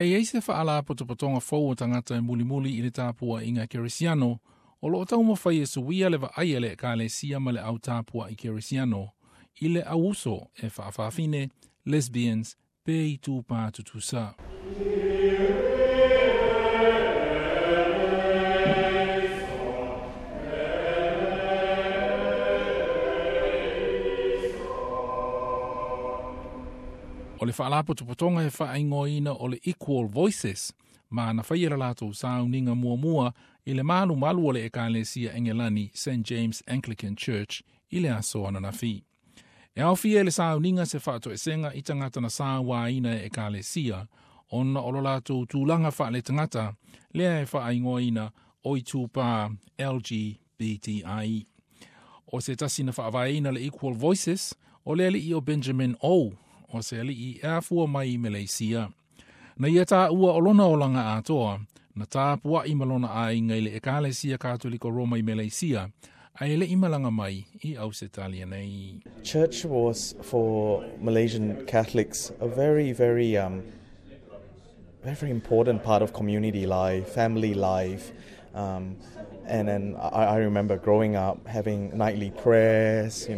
E iai se faalapotopotoga fou o tagata e mulimuli i le tapuaiga kerisiano, o loo taumafai e suia le vaai a le ekalesia ma le au tapuai kerisiano, i le auuso e faafafine, lesbians, pe itupā tutusa. O le faalapotopotoga e faaigoaina o le Equal Voices, ma na faia le latou sauniga muamua i le malumalu o le ekalesia Engelani St James Anglican Church i le aso ananafi. E aofia i le sauniga se faatoesega i tagata na sauaina e ekalesia, ona o lo latou tulaga faaletagata, lea e faaigoaina o itupā LGBTI. O se tasi na faavaeina le Equal Voices, o le alii o Benjamin O, o se alii e afua mai i Meleisia. Na ia taua o lona olaga atoa, na tapuai ma lona aiga i le ekalesia Katoliko Roma i Meleisia, ae le'i malaga mai i Ausetalia nei. Church was for Malaysian Catholics a very, very, very, very important part of community life, family life. And then I remember growing up having nightly prayers.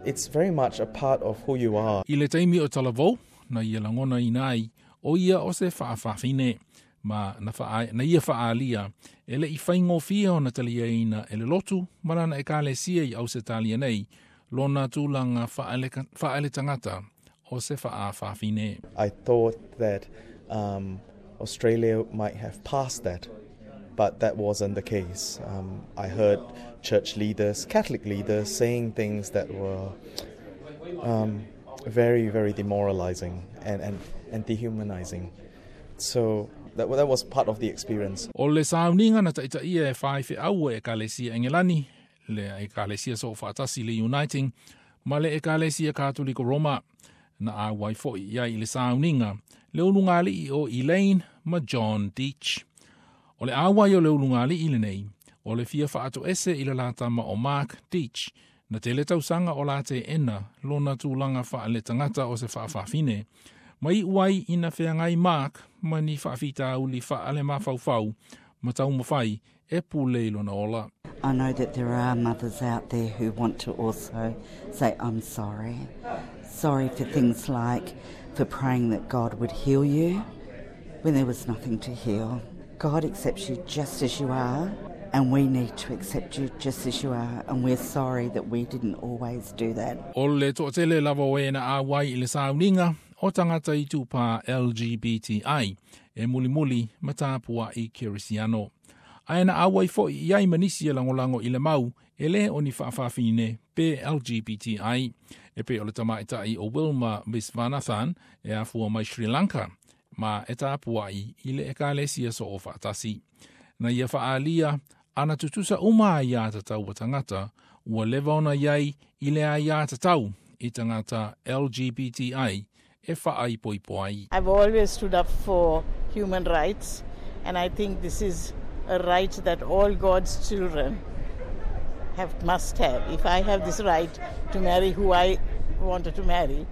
It's very much a part of who you are. I le taimi o talavou, na ia lagonaina ai, o ia o se faafafine, ma na, na ia faaalia, e le'i faigofie ona taliaina e le lotu ma lana ekalesia i Ausetalia nei, lona tulaga faaletagata o se faafafine. I thought that Australia might have passed that, but that wasn't the case. I heard church leaders, Catholic leaders, saying things that were very, very demoralizing and dehumanizing. So that was part of the experience. O le sauniga na taitaia e faifeau e ekalesia Engelani, le ekalesia soofaatasi le Uniting, ma le ekalesia Katoliko Roma. Na auai foi i ai i le sauniga, le ulugalii o Elaine ma John Deach. O le auai o le ulugalii lenei, o le fia faatoese i le latama o Mark Deach, na tele tausaga o la teena lona tulaga faaletagata o se faafafine, ma iu ai ina feagai Mark ma ni faafitauli faalemafaufau ma taumafai e pule i lona ola. I know that there are mothers out there who want to also say, I'm sorry. Sorry for things like for praying that God would heal you when there was nothing to heal. God accepts you just as you are, and we need to accept you just as you are, and we're sorry that we didn't always do that. O le toatele lava o e na auai i le sauniga o tagata itupā LGBTI e mulimuli ma tapuai kerisiano. Ae na auai foi i ai ma nisi e lagolago i le mau e lē o ni faafafine pe LGBTI e pei o le tamaitai o Wilma Visvanathan e afua mai Sri Lanka ma e tapuai i le ekalesia soofaatasi. Na ia faaalia ana tutusa uma aiā tatau a tagata ua leva ona iai i le aiā tatau i tagata LGBTI e faaipoipo ai. I've always stood up for human rights, and I think this is a right that all God's children must have. If I have this right to marry who I wanted to marry,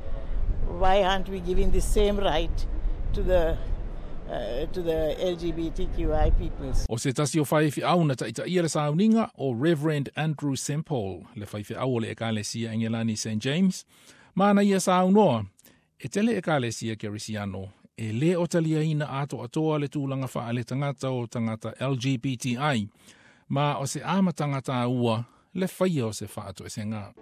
why aren't we giving the same right to the LGBTQI peoples? O se tasi o faifeau na taitaia le sauniga o Reverend Andrew Semple, le faifeau o le ekalesia Engelani St. James, ma na ia saunoa, e tele ekalesia kerisiano, e lē o taliaina atoatoa le tulaga faaletagata o tagata LGBTI, ma o se amataga tāua le faia o se faatoesega.